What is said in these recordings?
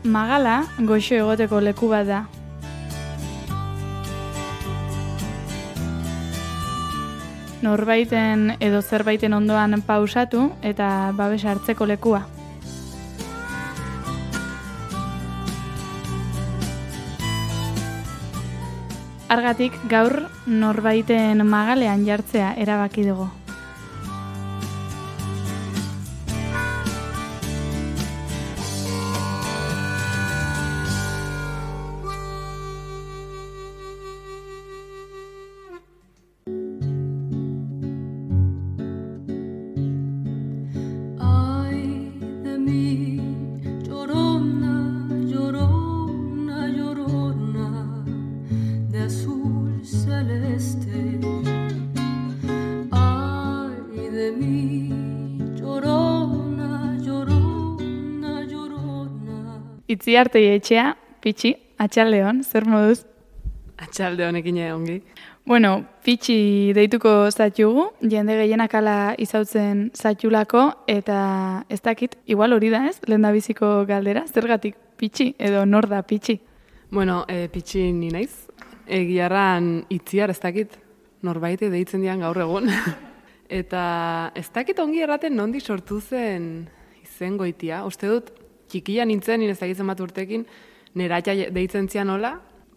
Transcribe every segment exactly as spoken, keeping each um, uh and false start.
Magala goxo egoteko leku bat da. Norbaiten edo zerbaiten ondoan pausatu eta babes hartzeko lekua. Argatik gaur norbaiten magalean jartzea erabaki dugu. Itziartei etxea, Pitxi, atxaldeon, zer moduz? Atxalde honekin ongi. Bueno, Pitxi deituko zatxugu, jende gehienak ala izautzen zatxulako, eta ez dakit, igual hori da ez, lehendabiziko galdera, zergatik Pitxi edo nor da Pitxi? Bueno, e, Pitxi ni naiz, egiarran itziar ez dakit, norbaite deitzen dian gaur egun. Eta ez dakit ongi erraten nondi sortu zen izen goitia, uste dut, txikia nintzen, ez dakit zenbat urtekin, neratxa deitzen zian nola,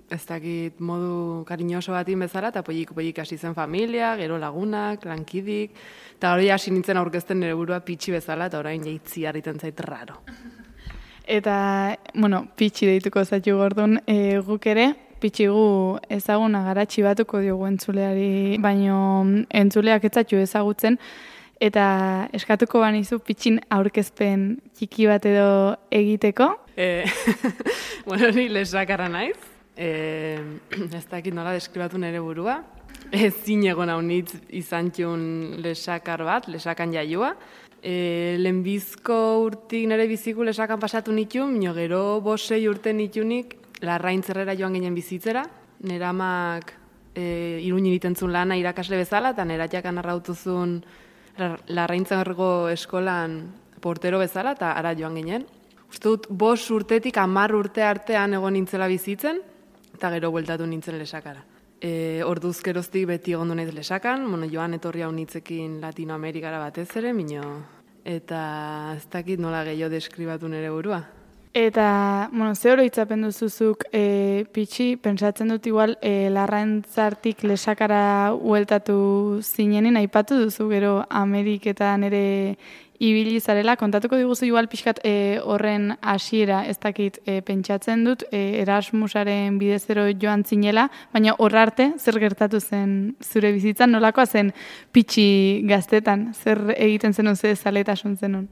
ez dakit modu kariñoso batin bezala, eta poiik-poiik hasi zen familia, gero lagunak, lankidik, eta hori hasi nintzen aurkezten nire burua Pitxi bezala, eta orain jaitzi harriten zait raro. Eta, bueno, Pitxi deituko zaitu gordun, e, guk ere, Pitxi gu ezaguna garatxi batuko diogu entzuleari, baino entzuleak ez zaitu ezagutzen, eta eskatuko banizu Pitxin aurkezpen txiki bat edo egiteko? E, bueno, ni lesakarra naiz. E, ez dakit nola deskribatu nire burua. Ez zinegon haunitz izan txun lesakar bat, lesakan jaiua. E, lehenbizko urtik nire biziku lesakan pasatu nitun, mino gero bosei urte nitunik Larraintzerrera joan ginen bizitzera. Nera amak e, Iruñin itentzun lana irakasle bezala, eta nera jakan arrautuzun Larraintzergo eskolan portero bezala, eta ara joan ginen. Uste dut, bost urtetik hamar urte artean egon nintzela bizitzen, eta gero bueltatu nintzen lesakara. E, orduz geroztik beti egon du naiz lesakan, bueno, joan etorri hau nitzekin Latinoamerikara batez ere, mino, eta ez dakit nola gehiago deskribatu nire burua. Eta, bueno, ze oroitzapen duzuzuk e, Pitxi, pentsatzen dut igual e, Larraintzartik lesakara hueltatu zinenin, aipatu duzu gero Ameriketan ere ibili zarela, kontatuko diguzu igual pixkat e, horren hasiera ez dakit e, pentsatzen dut, e, Erasmusaren bidezero joan zinela, baina hor arte zer gertatu zen zure bizitzan, nolakoa zen Pitxi gaztetan, zer egiten zenun, ze zaletasun zenun?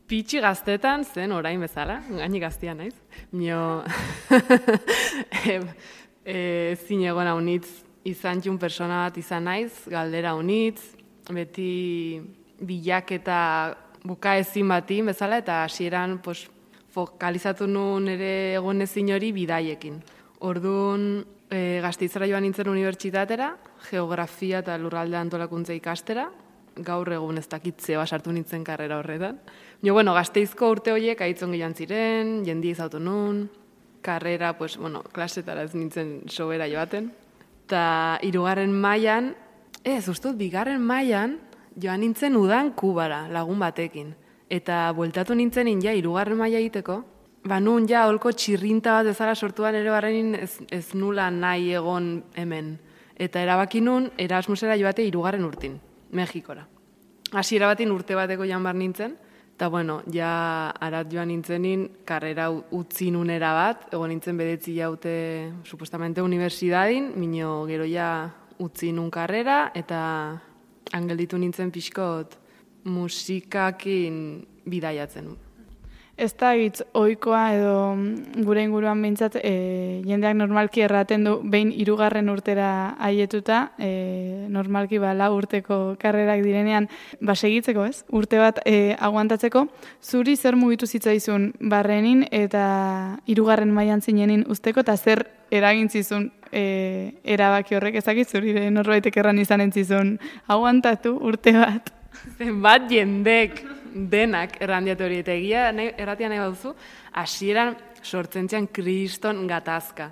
Pitxi gaztetan zen orain bezala, gaini gaztia naiz. Mio, e, e, zinegon haunitz izan txun persona bat izan naiz, galdera haunitz, beti bilaketa bukaezin batin bezala, eta hasieran pues, fokalizatu nuen ere egon ezin hori bidaiekin. Orduan, e, Gasteizera joan nintzen unibertsitatera, geografia eta lurralde antolakuntza ikastera, gaur egun ez dakitze basartu nintzen karrera horretan. Jo, bueno, Gasteizko urte horiek aitzon gehian ziren, jendi izautu nun, karrera, pues, bueno, klasetara ez nintzen sobera joaten. Eta hirugarren mailan, ez, ustut, bigarren mailan, joan nintzen udan Kubara, lagun batekin. Eta bueltatu nintzen ja hirugarren maila egiteko, ba nun ja holko txirrinta bat ezara sortuan ere barrenin ez, ez nula nahi egon hemen. Eta erabaki nun Erasmusera joate hirugarren urtin, Mexikora. Hasiera batin urte bateko joan bar nintzen, eta bueno, ja arat joan nintzenin, karrera utzi nunera bat, egon nintzen bedetzi jaute, supuestamente, universidadin, mino gero ja utzi nun karrera, eta angelditu nintzen pixkot musikakin bidaiatzen. Ez da hitz ohikoa edo gure inguruan behintzat e, jendeak normalki erraten du behin hirugarren urtera aietuta, e, normalki ba lau urteko karrerak direnean ba segitzeko, ez? Urte bat e, aguantatzeko, zuri zer mugitu zitzaizun barrenin eta hirugarren mailan zinenin usteko eta zer eragin zizun e, erabaki horrek, ezakit zuri norbaitek erran izan entzizun aguantatu urte bat. Zenbat jendek denak errandiatu hori eta egia erratia nahi baduzu, hasieran sortzen zian kriston gatazka.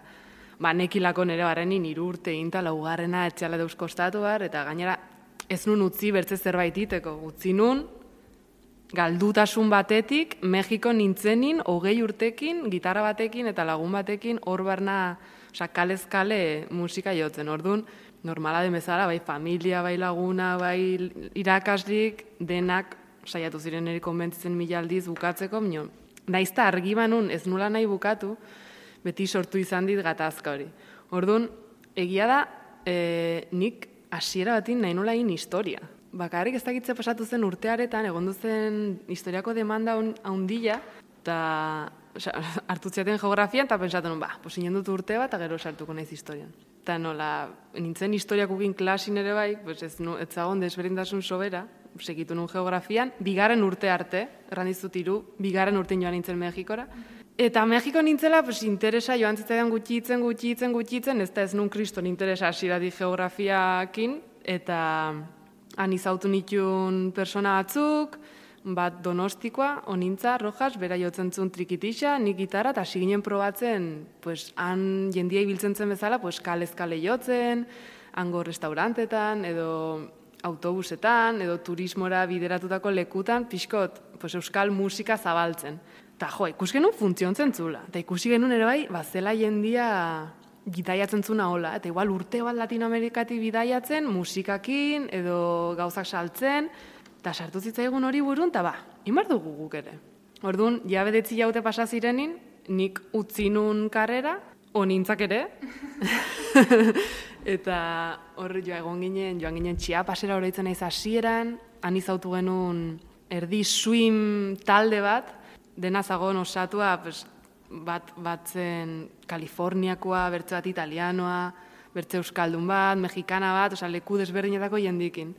Ba, nekilako nire barrenin hiru urte inta laugarrena etxeala deus kostatu bar, eta gainera ez nun utzi bertze zerbait iteko. Utzi nun, galdutasun batetik, Mexiko nintzenin, hogei urtekin, gitarra batekin eta lagun batekin, hor barna, oza, kalez-kale musika jotzen. Orduan, normala den bezala, bai familia, bai laguna, bai irakaslik, denak saiatu ziren eri konbentzitzen mila aldiz bukatzeko, mino, naizta argi banun ez nula nahi bukatu, beti sortu izan dit gatazka hori. Orduan, egia da, e, nik hasiera batin nahi nola egin historia. Bakarrik ez dakitze pasatu zen urtearetan, egon duzen historiako demanda haundila, eta hartu ziaten geografian, eta pensatzen, ba, posinen dut urte bat, eta gero sartuko naiz historian. Eta nola, nintzen historiakukin klasin ere bai, pues ez, no, ez zagon desberindasun sobera, segitu nun geografian, bigarren urte arte, errandizut iru, bigarren urtein joan nintzen Mexikora. Eta Mexiko nintzela, pues, interesa joan zitzaidan gutxitzen, gutxitzen, gutxitzen, ez da ez nun kriston interesa hasieradi geografiakin, eta han izautu nituen persona batzuk, bat Donostikoa, onintza, Rojas, bera jotzen zuen trikitixa, nik gitarra, eta hasi ginen probatzen, pues, han jendia ibiltzen zen bezala, pues, kalez-kale jotzen, hango restaurantetan, edo autobusetan, edo turismora bideratutako lekutan, pixkot, pues, euskal musika zabaltzen. Eta jo, ikusi genuen funtziontzen zula. Eta ikusi genuen ere bai, bazela jendia bidaiatzen zuna hola. Eta igual urte bat Latinoamerikatik bidaiatzen, musikakin, edo gauzak saltzen, eta sartu zitzaigun hori burun, eta ba, inbar dugu guk ere. Orduan, ja bedetzi jaute pasa zirenin, nik utzi nun karrera, onintzak ere, eta hor joa egon ginen, joan ginen Chiapasera oroitzen naiz hasieran, han izautu genuen erdi swim talde bat, dena zagon osatua, pues, bat batzen Kaliforniakoa, bertze bat italianoa, bertze euskaldun bat, mexikana bat, oza, leku desberdinetako jendikin.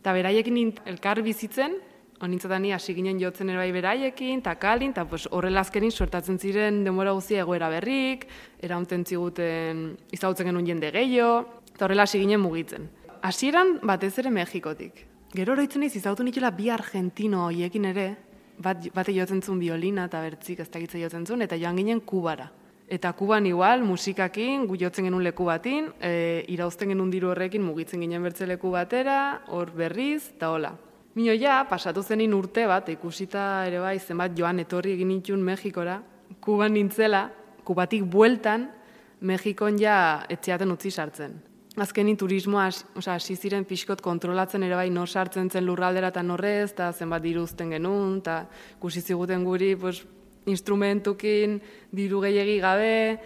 Eta beraiekin elkar bizitzen, honintzatan ni hasi ginen jotzen ere bai beraiekin, eta kalin, eta pues, horrela azkenin sortatzen ziren denbora guztia egoera berrik, eraunten ziguten izautzen genuen jende gehiago, eta horrela hasi ginen mugitzen. Hasieran batez ere Mexikotik. Gero oroitzen naiz izautu nitula bi argentino hoiekin ere, bat, bate jotzen zuen biolina eta bertzik ez dakitze jotzen zuen, eta joan ginen Kubara. Eta Kuban igual, musikakin, gu jotzen genuen leku batin, e, irauzten genuen diru horrekin mugitzen ginen bertze leku batera, hor berriz, eta hola. Mino ja, pasatu zenin urte bat, ikusita ere bai, zenbat joan etorri egin nituen Mexikora, Kuban nintzela, Kubatik bueltan, Mexikon ja etxeaten utzi sartzen. Azkenin turismoa hasi ziren pixkot kontrolatzen ere bai, nor sartzen zen lurraldera eta norrez, eta zenbat diruzten genuen, eta ikusi ziguten guri, pues, instrumentukin, diru gehiegi gabe,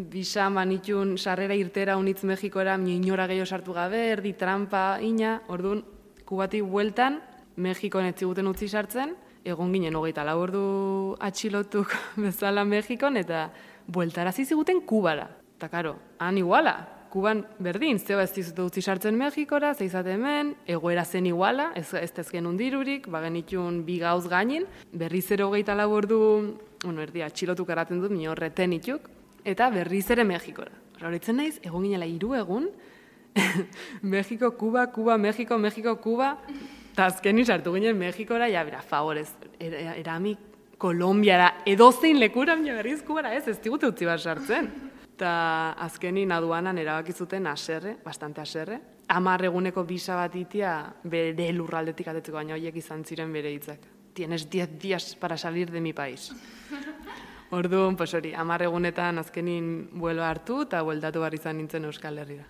bisan banitun sarrera irtera unitz Mexikora, inora gehiago sartu gabe, erdi trampa, ina, orduan, Kubatik bueltan, Mexikon etziguten utzi sartzen, egon ginen hogeita lau ordu atxilotuk bezala Mexikon, eta bueltarazi ziguten Kubara. Eta karo, han iguala, Kuban berdin, zeba ez dizute utzi sartzen Mexikora, zeizate hemen, egoera zen iguala, ez, ez tezken undirurik, bagenitun bi gauz gainin, berriz ere hogeita lau ordu, bueno, erdi atxilotuk eraten dut, mino reten ituk, eta berriz ere Mexikora. Horretzen naiz, egon ginela hiru egun, Mexiko, Kuba, Kuba, Mexiko, Mexiko, Kuba, eta azkenin sartu ginen Mexikora, ja, bera, favorez, er, erami Kolombiara, edozein lekura, mino berriz Kubara, ez, ez digute utzi bat sartzen. Eta azkenin aduanan erabakizuten aserre, bastante aserre. Hamar eguneko bisa bat itia bere lurraldetik atetzeko, baina horiek izan ziren bere hitzak. Tienes diez días para salir de mi país. Orduan, pues hori, hamar egunetan azkenin vuelo hartu eta bueltatu behar izan nintzen Euskal Herrira.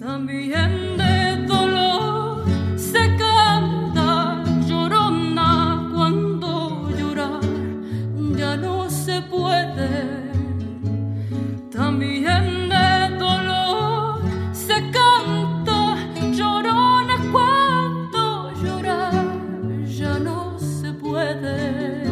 También de dolor se canta llorona cuando llorar ya no se puede. También de dolor se canta llorona cuando llorar ya no se puede.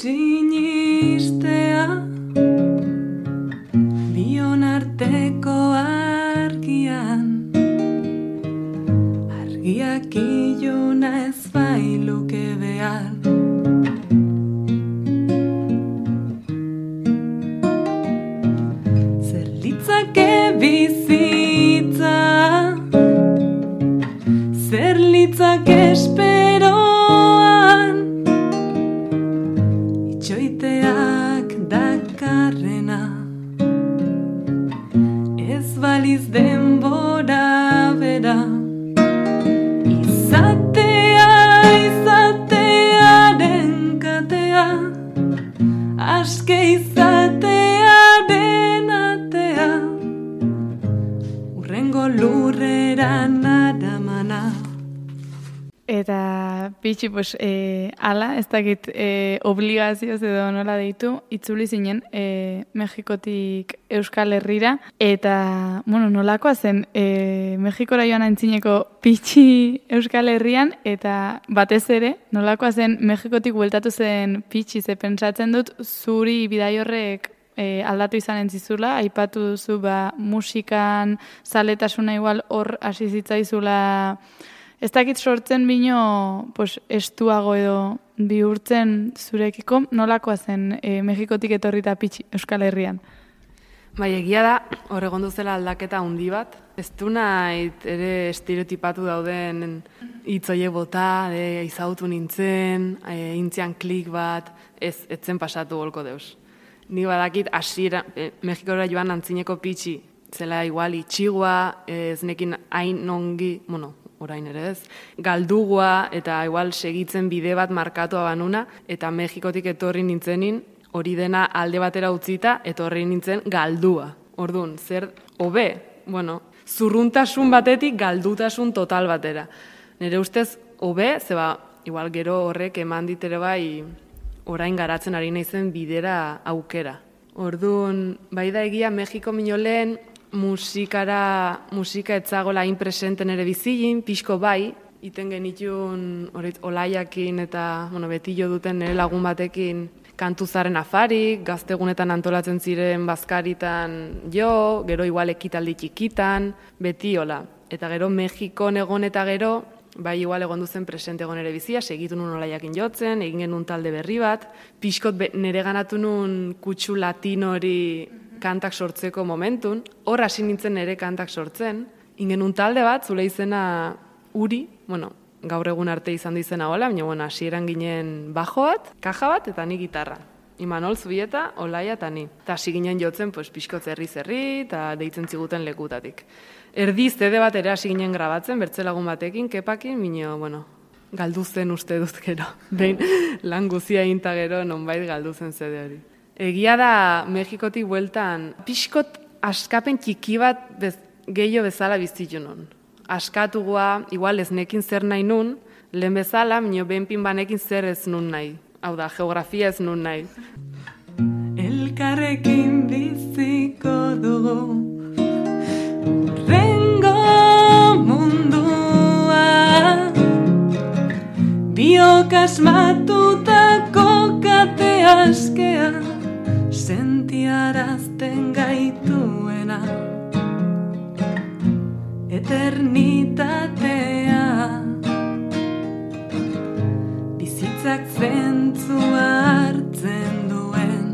Sinistea nuke behar. Zer litzake bizitza, zer litzake esperoan, itxoiteak dakarrena, ez baliz denbora bera. Izatea, izatearen katea, aske izatearen atea, urrengo lurrera naramana. Eta pitxi, pues, e, ala, ez dakit e, obligazioz edo nola deitu, itzuli zinen e, Mexikotik Euskal Herrira, eta, bueno, nolakoa zen, e, Mexikora joan aintzineko pitxi Euskal Herrian, eta batez ere, nolakoa zen Mexikotik bueltatu zen pitxi, ze pentsatzen dut, zuri bidai horrek e, aldatu izan entzizula, aipatu duzu, ba, musikan, zaletasuna igual hor hasi zitzaizula. Ez dakit sortzen bino pues, estuago edo bihurtzen zurekiko, nolakoa zen e, Mexikotik etorrita pitxi Euskal Herrian? Bai, egia da, hor egon duzela aldaketa handi bat. Ez du nahi ere estereotipatu dauden hitzoiek bota, de, izautu nintzen, e, intzian klik bat, ez etzen pasatu golko deus. Ni badakit hasiera e, Mexikora joan antzineko pitxi, zela igual itxigua, ez nekin hain ongi, bueno, orain ere ez, galdugua eta igual segitzen bide bat markatua banuna, eta Mexikotik etorri nintzenin, hori dena alde batera utzita, etorri nintzen galdua. Orduan, zer hobe, bueno, zurruntasun batetik galdutasun total batera. Nire ustez hobe, zeba, igual gero horrek eman ditere bai orain garatzen ari naizen bidera aukera. Orduan, bai da egia Mexiko minolen, musikara, musika etzagola hain presenten ere bizilin, pixko bai, iten genitun orit, olaiakin eta bueno, beti jo duten nire lagun batekin kantuzaren afarik, gaztegunetan antolatzen ziren bazkaritan jo, gero igual ekitaldi txikitan, beti hola. Eta gero Mexikon egon eta gero, bai igual egon duzen presente egon ere bizia, segitu nun olaiakin jotzen, egin genuen talde berri bat, pixkot be, nire ganatu nun kutsu latino hori kantak sortzeko momentun, hor hasi nintzen ere kantak sortzen, ingen un talde bat, zule izena Uri, bueno, gaur egun arte izan izena hola, baina bueno, hasieran ginen bajo bat, kaja bat, eta ni gitarra. Imanol Zubieta, Olaia eta ni. Eta hasi ginen jotzen, pues, pixko zerri-zerri, eta deitzen ziguten lekutatik. Erdi zede bat ere hasi ginen grabatzen, bertzelagun batekin, kepakin, minio, bueno, galdu zen uste dut gero. Behin lan guzia inta gero, nonbait galdu zen zede hori. Egia da, Mexikotik bueltan, pixkot askapen txiki bat bez, gehiago bezala bizitu nun. Askatugua, igual ez nekin zer nahi nun, lehen bezala, minio benpin banekin zer ez nun nahi. Hau da, geografia ez nun nahi. Elkarrekin biziko dugu, rengo mundua, biok asmatutako kate askea, sentiarazten gaituena, eternitatea, bizitzak zentzua hartzen duen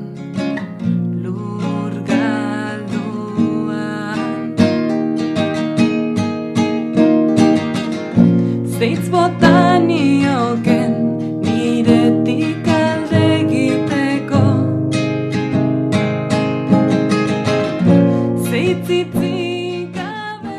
lur galduan. Zeitz botanioken niretik alde egiteko, zeitzitzik gabe.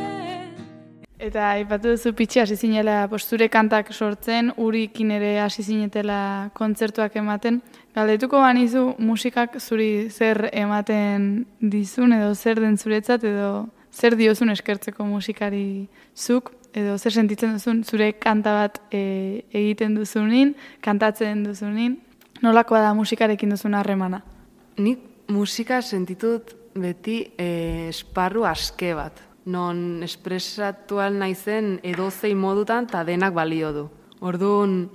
Eta aipatu duzu pitxi hasi zinela posture kantak sortzen, Urikin ere hasi zinetela kontzertuak ematen. Galdetuko banizu musikak zuri zer ematen dizun edo zer den zuretzat edo zer diozun eskertzeko musikari zuk edo zer sentitzen duzun zure kanta bat e, egiten duzunin, kantatzen duzunin. Nolakoa da musikarekin duzun harremana? Nik musika sentitut beti e, esparru aske bat. Non espresatual naizen edozein modutan eta denak balio du. Orduan,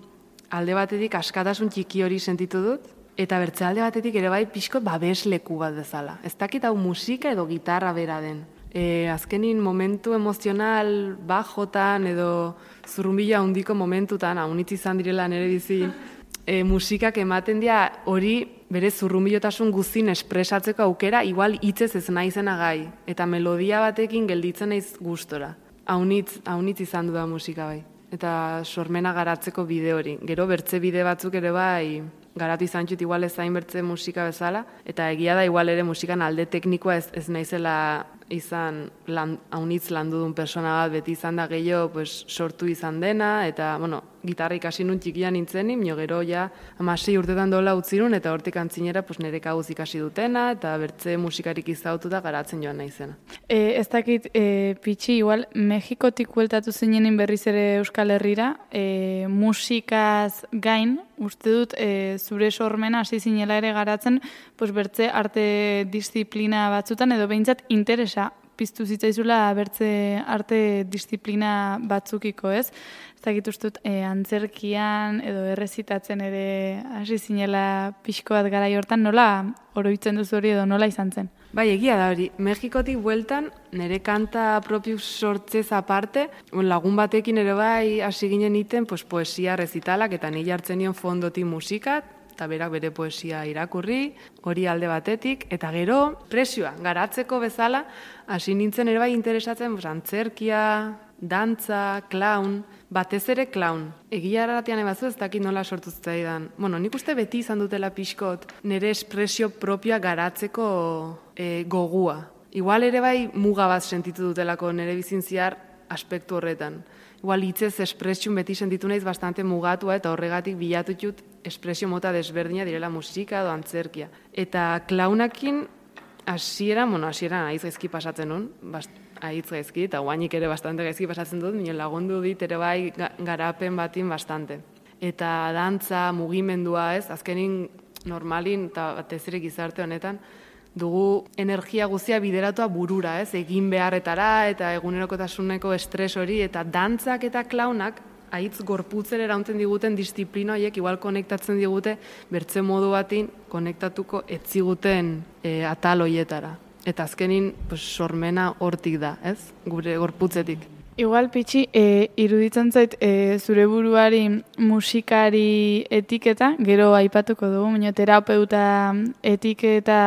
alde batetik askatasun txiki hori sentitu dut, eta bertze alde batetik ere bai pixko babesleku bat bezala. Ez dakit hau musika edo gitarra bera den. E, azkenin momentu emozional bajotan edo zurrumbila handiko momentutan, haunitz izan direla nire bizi, e, musikak ematen dira hori bere zurrumbilotasun guztin espresatzeko aukera, igual hitzez ez naizena gai, eta melodia batekin gelditzen naiz gustora. Haunitz, haunitz izan du da musika bai. Eta sormena garatzeko bide hori. Gero bertze bide batzuk ere bai garatu izan txut igual ezain bertze musika bezala, eta egia da igual ere musikan alde teknikoa ez, ez naizela izan lan, haunitz landu duen persona bat, beti izan da gehiago pues, sortu izan dena, eta bueno, gitarra ikasi nun txikia nintzenin, mio gero ja amasei urtetan dola utzirun, eta hortik antzinera pues, nire kabuz ikasi dutena, eta bertze musikarik izautu da garatzen joan naizena. E, ez dakit, e, Pitxi, igual, Mexikotik bueltatu zinenin berriz ere Euskal Herrira, e, musikaz gain, uste dut, e, zure sormena hasi zinela ere garatzen, pues, bertze arte disiplina batzutan, edo behintzat interesa piztu zitzaizula bertze arte disiplina batzukiko, ez? Ez dakit ustut, e, antzerkian edo errezitatzen ere hasi zinela pixko bat garai hortan, nola oroitzen duzu hori edo nola izan zen? Bai, egia da hori. Mexikotik bueltan, nire kanta propiu sortzez aparte, lagun batekin ere bai hasi ginen iten, pues, poesia rezitalak, eta ni jartzen nion fondotik musikat, eta berak bere poesia irakurri, hori alde batetik, eta gero presioa, garatzeko bezala, hasi nintzen ere bai interesatzen, pues, antzerkia, dantza, clown, batez ere clown. Egia erratian ebazu ez dakit nola sortu zitzaidan. Bueno, nik uste beti izan dutela pixkot, nire espresio propioa garatzeko e, gogua. Igual ere bai muga bat sentitu dutelako nire bizintziar aspektu horretan. Igual hitzez espresiun beti sentitu naiz bastante mugatua eta horregatik bilatu dut espresio mota desberdina direla musika edo antzerkia. Eta klaunakin hasieran, bueno, hasieran aiz gaizki pasatzen nun, bast, aiz gaizki, eta guainik ere bastante gaizki pasatzen dut, minen lagundu dit ere bai garapen batin bastante. Eta dantza, mugimendua ez, azkenin normalin eta batez ere gizarte honetan, dugu energia guztia bideratua burura, ez? Egin beharretara eta egunerokotasuneko estres hori, eta dantzak eta klaunak haitz gorputzen erauntzen diguten disiplina horiek igual konektatzen digute bertze modu batin konektatuko etziguten e, atal hoietara. Eta azkenin pues, sormena hortik da, ez? Gure gorputzetik. Igual, Pitxi, e, iruditzen zait e, zure buruari musikari etiketa, gero aipatuko dugu, baina terapeuta etiketa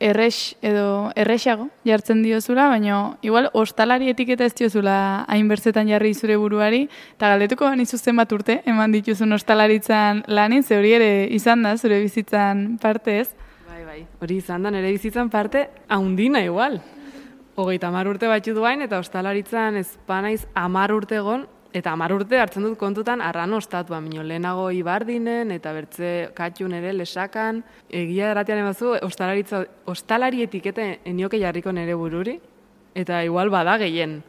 errex edo errexago jartzen diozula, baina igual ostalari etiketa ez diozula hainbertzetan jarri zure buruari, eta galdetuko banizu zenbat urte eman dituzun ostalaritzan lanin, ze hori ere izan da zure bizitzan parte ez? Bai, bai, hori izan da nire bizitzan parte haundina igual. Hogeita hamar urte batxu duain, eta ostalaritzan ezpanaiz hamar urte egon, eta hamar urte hartzen dut kontutan arrano ostatua, minio lehenago ibardinen, eta bertze katxun ere lesakan. Egia erratian emazu, ostalaritza, ostalari etikete enioke jarriko nere bururi, eta igual bada gehien.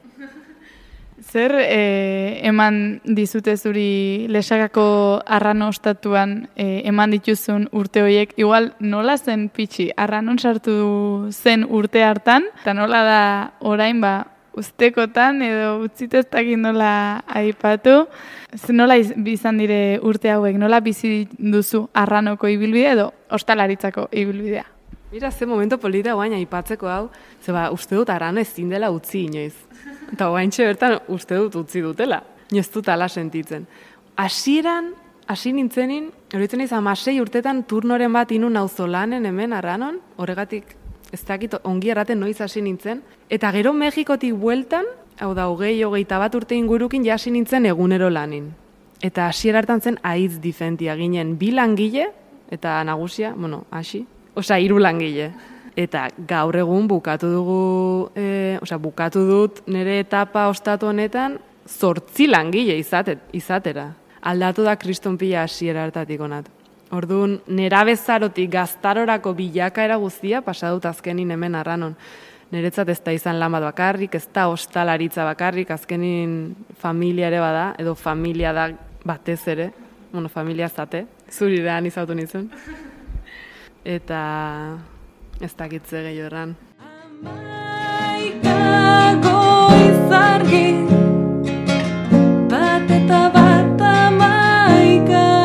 Zer e, eman dizute zuri lesakako arrano ostatuan e, eman dituzun urte horiek? Igual nola zen Pitxi, arranon sartu zen urte hartan, eta nola da orain ba ustekotan edo utziteztakin nola aipatu? Nola izan dire urte hauek, nola bizi duzu arranoko ibilbidea edo ostalaritzako ibilbidea? Mira, ze momento polita guain aipatzeko hau, zeba uste dut arrano ezin dela utzi inoiz. Eta guaintxe bertan uste dut utzi dutela, inoz dut ala sentitzen. Hasieran, hasi nintzenin, horitzen naiz amasei urtetan turnoren bat inun auzolanen hemen arranon, horregatik ez dakit ongi erraten noiz hasi nintzen, eta gero Mexikotik bueltan, hau da, hogei, hogeita bat urte ingurukin ja hasi nintzen egunero lanin. Eta hasiera hartan zen aitz difentia ginen bi langile, eta nagusia, bueno, hasi, osea, hiru langile. Eta gaur egun bukatu dugu, e, osea, bukatu dut nire etapa ostatu honetan zortzi langile izatet, izatera. Aldatu da kriston pila hasiera hartatik onat. Orduan, nerabezarotik gaztarorako bilakaera guztia pasadut azkenin hemen arranon. Niretzat ez da izan lan bat bakarrik, ez da ostalaritza bakarrik, azkenin familia ere bada, edo familia da batez ere, bueno, familia zate, zurirean izautu nizun. Eta ez dakitze gehiago erran. Amaikako izargi, bat eta bat amaika.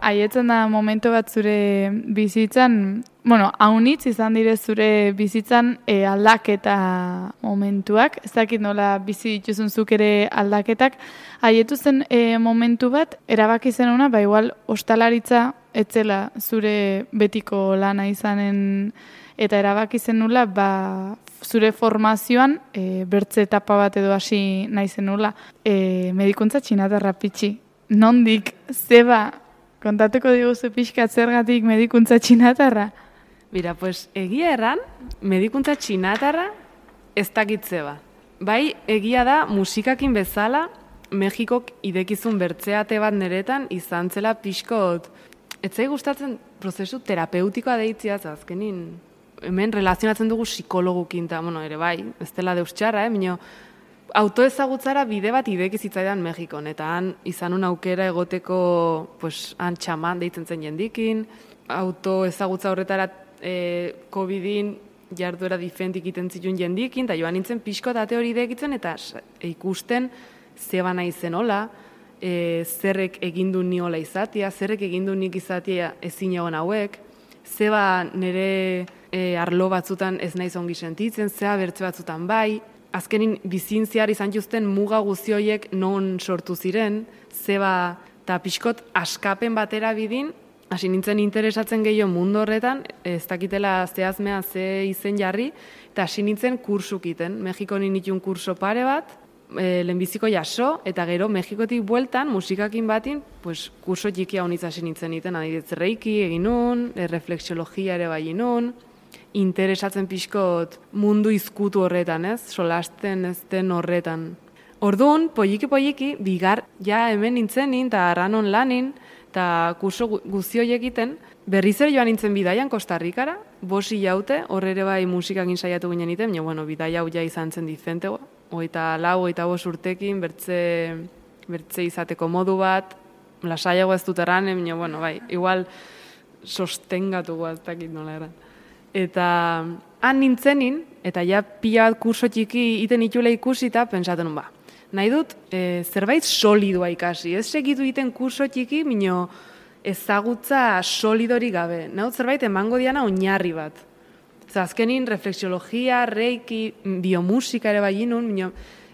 haietzen da momentu bat zure bizitzan, bueno, haunitz izan dire zure bizitzan e, aldaketa momentuak, ez dakit nola bizi dituzun zuk ere aldaketak, haietu zen e, momentu bat, erabaki zen ona, ba igual ostalaritza etzela zure betiko lana izanen, eta erabaki zen nula, ba, zure formazioan e, bertze etapa bat edo hasi nahi zen nula, e, medikuntza txinatarra pitxi. Nondik, zeba, kontatuko diguzu pixkat zergatik medikuntza txinatarra? Mira, pues egia erran, medikuntza txinatarra ez dakit zeba. Bai, egia da musikakin bezala, Mexikok idekizun bertzeate bat neretan izan zela pixkot. Etzai gustatzen prozesu terapeutikoa deitzia, azkenin, hemen relazionatzen dugu psikologukin, eta, bueno, ere bai, ez dela deus txarra, eh, minio, autoezagutzara bide bat ideki zitzaidan Mexikon, eta han izanun aukera egoteko, pues, han txaman deitzen zen jendikin, autoezagutza horretara e, COVIDin jarduera diferentik iten zituen jendikin, eta joan nintzen pixko eta hori idekitzen, eta e, ikusten zeba nahi zenola, e, zerrek egindu niola izatia, zerrek egindu nik izatia ezin egon hauek, zeba nire e, arlo batzutan ez naiz ongi sentitzen, zeba bertze batzutan bai, azkenin bizin zehar izan juzten muga guzioiek non sortu ziren, zeba eta pixkot askapen batera bidin, hasi nintzen interesatzen gehiago mundu horretan, ez dakitela zehazmea ze izen jarri, eta hasi nintzen kursukiten. Mexikon nituen kurso pare bat, e, lehenbiziko jaso, eta gero Mexikotik bueltan, musikakin batin, pues, kurso txikia honitz hasi nintzen iten, adibidez reiki egin nun, e, refleksiologia ere bai nun, interesatzen pixkot mundu izkutu horretan, ez? Solasten ez den horretan. Orduan, poliki-poliki, bigar ja hemen nintzenin, eta arranon lanin, eta kurso guzioiek egiten, berriz ere joan nintzen bidaian Costa Rikara, bosi jaute, horre ere bai musikakin saiatu ginen iten, baina, bueno, bidaia hau ja izan zen dizente, oita lau, oita bos urtekin, bertze, bertze izateko modu bat, lasaiago ez dut erran, baina, bueno, bai, igual sostengatu guaztakit nola erran. Eta han nintzenin, eta ja pila bat kurso txiki iten itxula ikusita, pensaten ba, nahi dut e, zerbait solidua ikasi, ez segitu iten kurso txiki, mino ezagutza solidori gabe, nahi dut zerbait emango diana oinarri bat. Zer, azkenin refleksiologia, reiki, biomusika ere bai inun, mino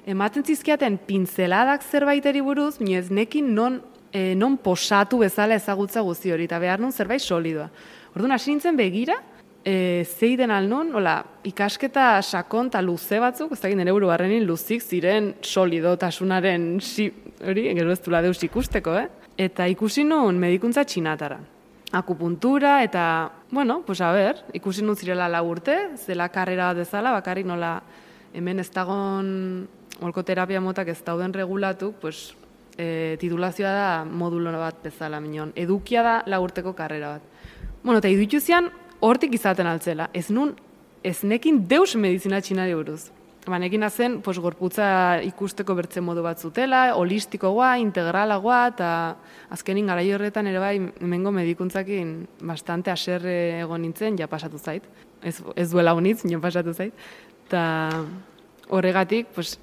ematen zizkiaten pinzeladak zerbaiteri buruz, mino ez nekin non, e, non posatu bezala ezagutza guzti hori, eta behar nun zerbait solidua. Orduan, hasi nintzen begira, E, zeiden alnun, hola, ikasketa sakon eta luze batzuk, ez dakit nire buru barrenin luzik ziren solidotasunaren si, hori, gero ez dula deus ikusteko, eh? Eta ikusi nun medikuntza txinatara. Akupuntura eta, bueno, pues a ber, ikusi nun zirela lau urte, zela karrera bat dezala, bakarrik nola hemen ez dagon holko terapia motak ez dauden regulatu, pues, e, titulazioa da modulo bat bezala, minon. Edukia da lau urteko karrera bat. Bueno, eta iduitu zian, hortik izaten altzela, ez nun, ez nekin deus medizina txinari buruz. Ba, nekin azen, pues, gorputza ikusteko bertze modu bat zutela, holistikoa, integralagoa, eta azkenin garai horretan ere bai, hemengo medikuntzakin bastante aserre egon nintzen, ja pasatu zait. Ez, ez duela honitz, ja pasatu zait. Eta horregatik, pues,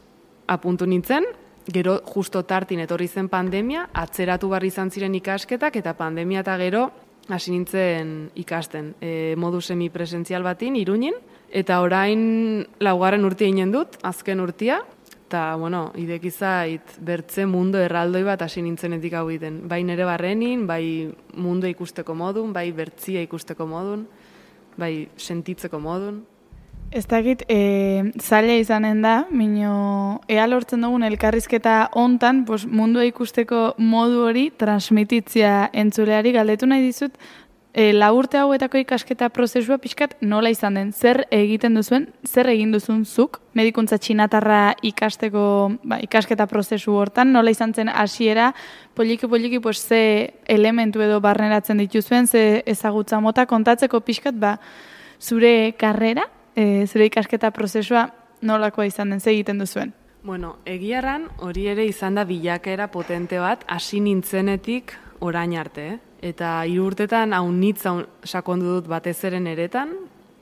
apuntu nintzen, gero justo tartin etorri zen pandemia, atzeratu barri izan ziren ikasketak, eta pandemia eta gero, hasi nintzen ikasten, e, modu semipresentzial batin, Iruñin, eta orain laugarren urtia inen dut, azken urtia, eta, bueno, idekizait bertze mundu erraldoi bat hasi nintzenetik hau iten. Bai nere barrenin, bai mundu ikusteko modun, bai bertzia ikusteko modun, bai sentitzeko modun. Ez dakit, e, zaila izanen da, mino, ea lortzen dugun elkarrizketa hontan, pues, mundua ikusteko modu hori transmititzia entzuleari galdetu nahi dizut, e, laurte hauetako ikasketa prozesua pixkat nola izan den, zer egiten duzuen, zer egin duzun zuk, medikuntza txinatarra ikasteko, ba, ikasketa prozesu hortan, nola izan zen hasiera, poliki-poliki, pues, ze elementu edo barneratzen dituzuen, ze ezagutza mota kontatzeko pixkat, ba, zure karrera, E, zure ikasketa prozesua nolakoa izan den, ze egiten duzuen? Bueno, egiarran hori ere izan da bilakaera potente bat, hasi nintzenetik orain arte, eh? Eta hiru urtetan haunitz sakondu dut batez eren eretan,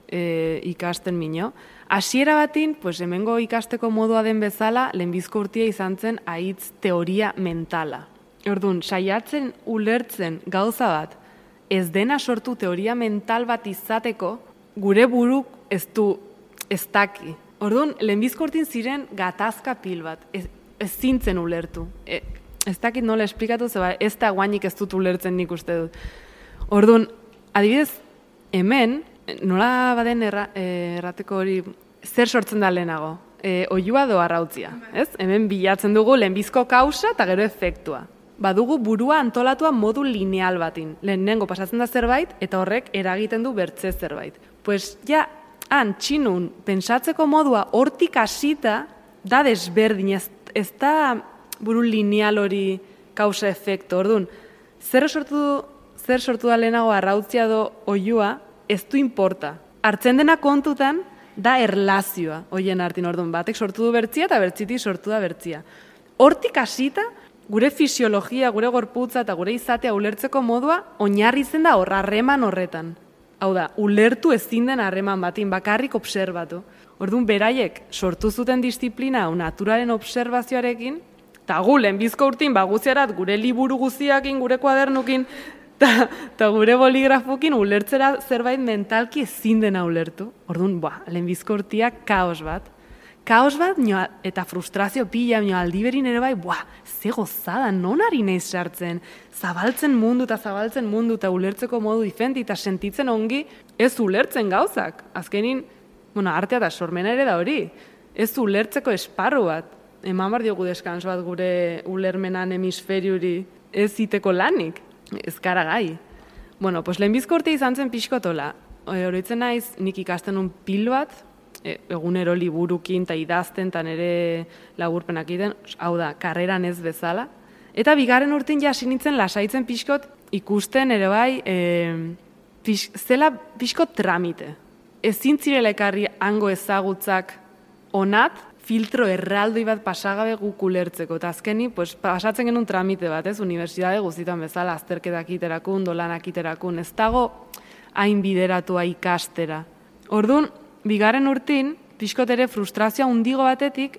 e, ikasten mino. Hasiera batin, pues, hemengo ikasteko modua den bezala, lehenbizko urtia izan zen haitz teoria mentala. Orduan, saiatzen ulertzen gauza bat, ez dena sortu teoria mental bat izateko, gure buruk ez du ez daki. Orduan, lehenbizkortin ziren gatazka pil bat, ez, ez zintzen ulertu. E, ez dakit nola esplikatu, zeba ez da guainik ez dut ulertzen nik uste dut. Orduan, adibidez, hemen, nola baden erra, errateko hori, zer sortzen da lehenago? E, oiua do arrautzia, ez? Hemen bilatzen dugu lehenbizko kausa eta gero efektua. Badugu burua antolatua modu lineal batin. Lehenengo pasatzen da zerbait, eta horrek eragiten du bertze zerbait. Pues ja, han, txinun, pentsatzeko modua hortik hasita da desberdin, ez, ez da buru lineal hori kausa efektu. Orduan, zer sortu, zer sortu da lehenago arrautzia do oiua, ez du importa. Hartzen dena kontutan, da erlazioa, hoien artin, orduan, batek sortu du bertzia eta bertzitik sortu da bertzia. Hortik hasita, gure fisiologia, gure gorputza eta gure izatea ulertzeko modua oinarri zen da hor harreman horretan. Hau da, ulertu ezin den harreman batin, bakarrik obserbatu. Orduan, beraiek sortu zuten disiplina hau naturaren obserbazioarekin, eta gu lehenbizko urtin baguziarat gure liburu guziakin, gure kuadernukin, eta gure boligrafukin ulertzera zerbait mentalki ezin dena ulertu. Orduan, ba, lehenbizko urtiak kaos bat. Kaos bat, nio, eta frustrazio pila, nio, aldiberin ere bai, buah, ze gozada, non ari naiz sartzen, zabaltzen mundu eta zabaltzen mundu eta ulertzeko modu diferenti eta sentitzen ongi, ez ulertzen gauzak. Azkenin, bueno, artea eta sormena ere da hori, ez ulertzeko esparru bat. Eman bar diogu deskans bat gure ulermenan hemisferiuri ez iteko lanik, ez gara gai. Bueno, pues lehenbizko urte izan zen pixkotola. Horitzen naiz, nik ikasten un pil bat, egunero liburukin eta idazten eta nire laburpenak egiten, hau da, karreran ez bezala. Eta bigarren urtin ja sinitzen lasaitzen pixkot ikusten ere bai, e, pix, zela pixkot tramite. Ezin zirela ekarri hango ezagutzak onat, filtro erraldoi bat pasagabe guk ulertzeko. Eta azkeni, pues, pasatzen genuen tramite bat, ez, unibertsitate guztietan bezala, azterketak iterakun, dolanak iterakun, ez dago hain bideratua ikastera. Orduan, bigarren urtin, pixkot ere frustrazioa hundigo batetik,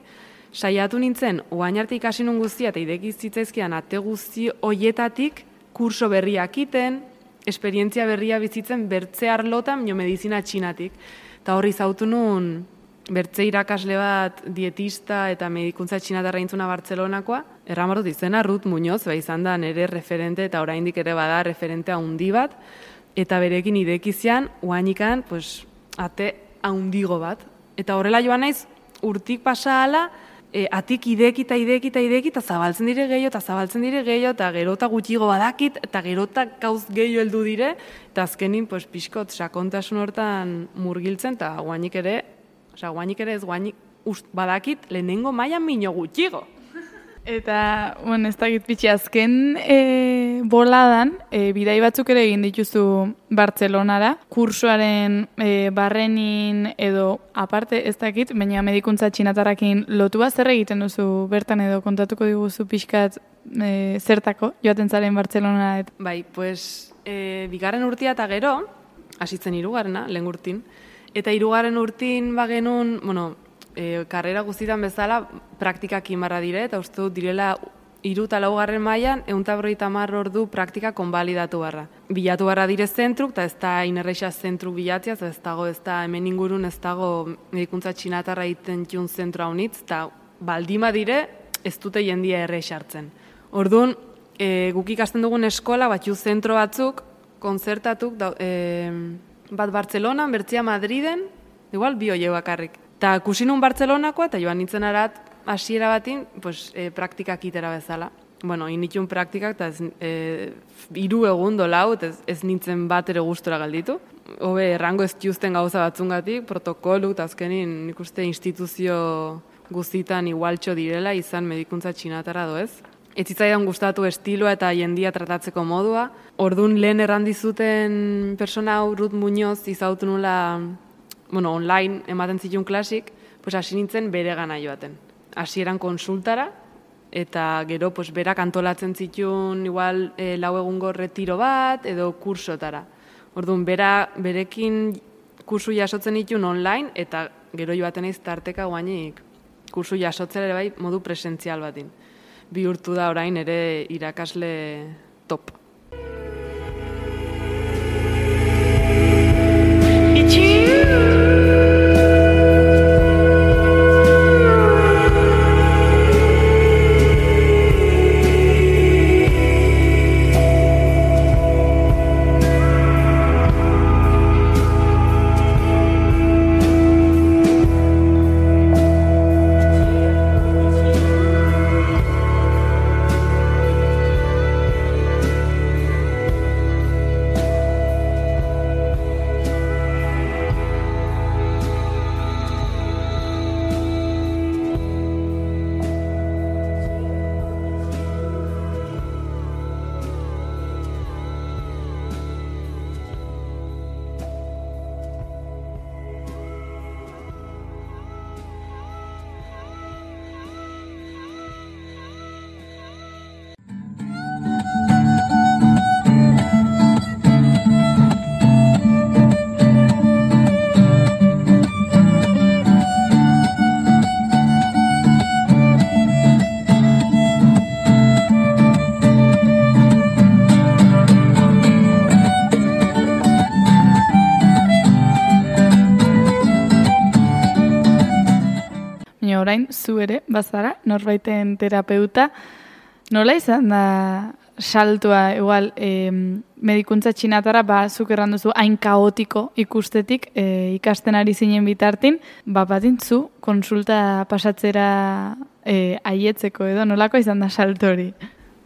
saiatu nintzen, oain arte ikasi nun guztia eta ideki zitzaizkian ate guzti hoietatik, kurso berriak iten, esperientzia berria bizitzen bertze arlotan, jo medizina txinatik. Eta horri zautu nun, bertze irakasle bat dietista eta medikuntza txinatarra intzuna Bartzelonakoa, erramarut izena Ruth Muñoz, ba izan da nire referente eta oraindik ere bada referentea handi bat, eta berekin idekizian, oainikan, pues, ate haundigo bat. Eta horrela joan naiz, urtik pasa ala, e, atik ideki eta ideki eta ideki, eta zabaltzen dire gehiago, eta zabaltzen dire gehiago, eta gerota gutxigo badakit, eta gerota gauz gehiago heldu dire, eta azkenin, pues, pixkot, sakontasun hortan murgiltzen, eta guainik ere, oza, guainik ere ez guainik ust, badakit, lehenengo mailan mino gutxigo. Eta, bueno, ez dakit pitxi, azken e, boladan, e, bidai batzuk ere egin dituzu Bartzelonara, kursoaren e, barrenin edo aparte ez dakit, baina medikuntza txinatarrakin lotua, zer egiten duzu bertan edo kontatuko diguzu pixkat e, zertako joaten zaren Bartzelonara? Bai, pues, e, bigarren urtia eta gero, hasitzen hirugarrena, lehen urtin, eta hirugarren urtin bagenun, bueno, E, karrera guztietan bezala praktikak inbarra dire, eta uste dut direla hiru eta laugarren mailan ehun eta berrogeita hamar ordu praktika konbalidatu barra. Bilatu barra dire zentruk, eta ez da inerreixa zentru bilatzia, ez dago, ez da hemen ingurun ez dago medikuntza txinatarra egiten jun zentru haunitz, eta baldima dire ez dute jendia erreixa hartzen. Orduan, e, guk ikasten dugun eskola, batzu zentro batzuk, konzertatuk, da, e, bat Bartzelonan, bertzia Madriden, igual bi oie bakarrik. Eta kusinun Bartzelonakoa, eta joan nintzen arat, hasiera batin, pues, e, praktikak itera bezala. Bueno, initun praktikak, eta ez, e, iru egun dolau, ez, ez nintzen bat ere gustora galditu. Hobe, errango ez juzten gauza batzungatik, protokolu, eta azkenin nik uste instituzio guztitan igualtxo direla, izan medikuntza txinatarra doez. Ez zitzaidan gustatu estiloa eta jendia tratatzeko modua. Ordun lehen errandizuten persona hau Ruth Muñoz izautu nula, bueno, online ematen zituen klasik, pues hasi nintzen bere gana joaten. Hasieran konsultara, eta gero pues, berak antolatzen zituen igual e, lau egungo retiro bat, edo kursotara. Orduan, bera, berekin kursu jasotzen dituen online, eta gero joaten eiz tarteka guainik kursu jasotzera ere bai modu presentzial batin. bihurtu da orain ere irakasle top. Orain, zu ere, bazara, norbaiten terapeuta, nola izan da saltua, igual, e, medikuntza txinatara, ba, zuk erran duzu, hain kaotiko ikustetik, e, ikasten ari zinen bitartin, ba, batintzu, konsulta pasatzera e, aietzeko edo, nolako izan da salto hori?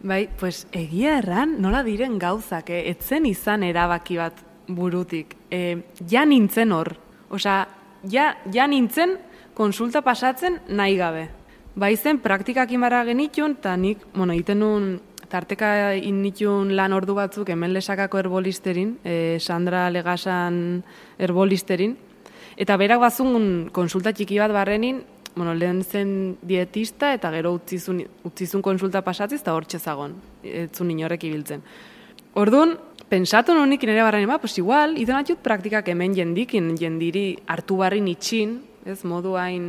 Bai, pues egia erran, nola diren gauzak, eh? Etzen izan erabaki bat burutik. E, ja nintzen hor, osea, ja, ja nintzen, konsulta pasatzen nahi gabe. Baizen praktikak inbarra genitun, eta nik, bueno, egiten nuen, tarteka initun lan ordu batzuk hemen Lesakako herbolisterin, eh, Sandra Legasan herbolisterin, eta berak bazun konsulta txiki bat barrenin, bueno, lehen zen dietista, eta gero utzizun, utzizun konsulta pasatziz, eta hor txezagon, etzun inorek ibiltzen. Orduan, pensatu nunik nire barrenin, ba, pues igual, iten atxut praktikak hemen jendikin, jendiri hartu barrin itxin, ez, modu hain,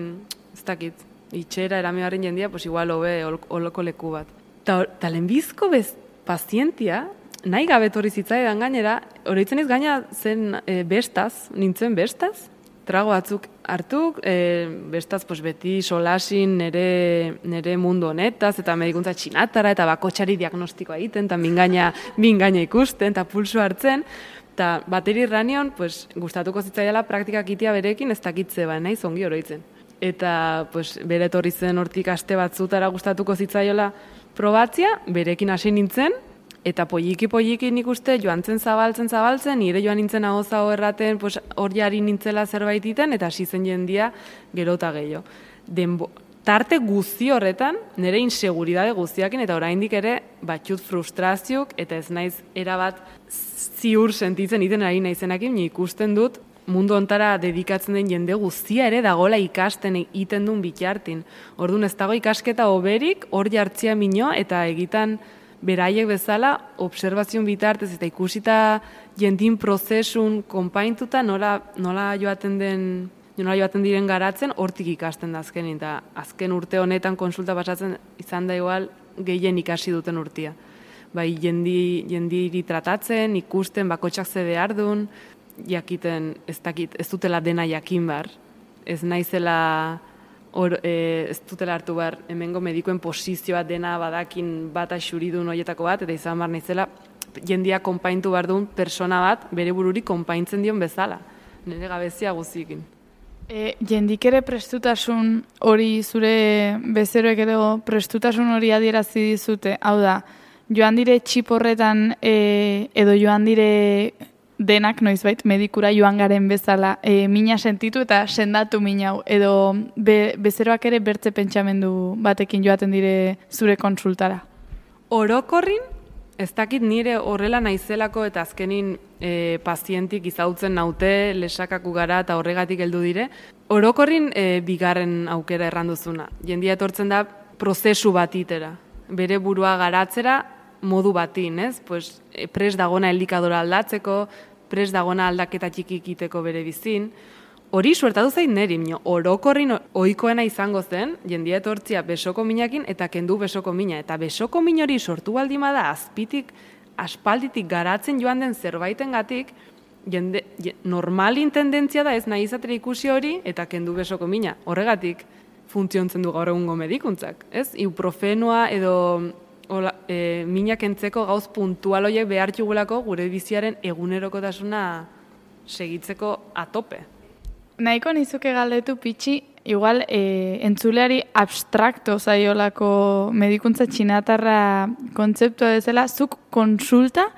ez dakit, itxera erame barrin jendia, pues igual hobe holoko leku bat. Ta, ta lehenbizko bez pazientia, nahi gabetorri zitzaidan gainera, oroitzen ez gaina zen e, bestaz, nintzen bestaz, trago batzuk hartuk, e, bestaz pues, beti solasin nere, nere mundu honetaz, eta medikuntza txinatara, eta bakotxari diagnostikoa egiten, eta mingaina, mingaina ikusten, eta pulsu hartzen, eta bateri ranion, pues, gustatuko zitzaiala praktikak itia berekin ez dakitze ba, nahi zongi oroitzen. Eta pues, bere etorri zen hortik aste batzutara gustatuko zitzaiola probatzia, berekin hasi nintzen, eta polliki-polliki nik uste joan zen zabaltzen zabaltzen, nire joan nintzen ahoza erraten pues, hor jari nintzela zerbait iten, eta hasi zen jendia gero eta gehiago. Denbo, tarte guzti horretan, nire inseguridade guztiakin, eta oraindik ere batxut frustrazioak, eta ez naiz erabat ziur sentitzen iten ari naizenakin, ikusten dut mundu ontara dedikatzen den jende guztia ere dagola ikasten egiten duen bitartin. Orduan ez dago ikasketa oberik, hor jartzia mino, eta egitan beraiek bezala, observazioan bitartez eta ikusita jendin prozesun konpaintuta nola, nola joaten den nola joaten diren garatzen, hortik ikasten da azkenin, eta azken urte honetan konsulta pasatzen izan da igual gehien ikasi duten urtia. Bai, jendi, jendiri tratatzen, ikusten, bakotxak ze behar duen, jakiten, ez dakit, ez dutela dena jakin bar, ez naizela, or, e, ez dutela hartu bar, hemengo medikuen posizioa dena badakin bat axuridun horietako bat, eta izan bar naizela, jendia konpaintu bar duen persona bat, bere bururi konpaintzen dion bezala, nire gabezia guzikin. E, jendik ere prestutasun hori zure bezeroek edo prestutasun hori adierazi dizute, hau da, joan dire txip horretan e, edo joan dire denak noizbait medikura joan garen bezala e, mina sentitu eta sendatu minau edo be, bezeroak ere bertze pentsamendu batekin joaten dire zure konsultara. Orokorrin, ez dakit nire horrela naizelako eta azkenin e, pazientik izautzen naute, lesakaku gara eta horregatik heldu dire. Orokorrin e, bigarren aukera erranduzuna. Jendia etortzen da prozesu batitera. Bere burua garatzera modu batin, ez? Pues, pres dagona elikadora aldatzeko, pres dagona aldaketa txiki egiteko bere bizin. Hori suertatu zain neri, mino, orokorrin ohikoena izango zen, jendia etortzia besoko minakin eta kendu besoko mina. Eta besoko min hori sortu baldin bada azpitik, aspalditik garatzen joan den zerbaitengatik, jende, normalin tendentzia da ez nahi izatera ikusi hori eta kendu besoko mina. Horregatik funtziontzen du gaur egungo medikuntzak, ez? Ibuprofenoa edo ola, e, minak entzeko gauz puntual horiek behar jugulako gure biziaren egunerokotasuna segitzeko atope. Nahiko nizuke galdetu pitxi, igual e, entzuleari abstrakto zaiolako medikuntza txinatarra kontzeptua bezala, zuk konsulta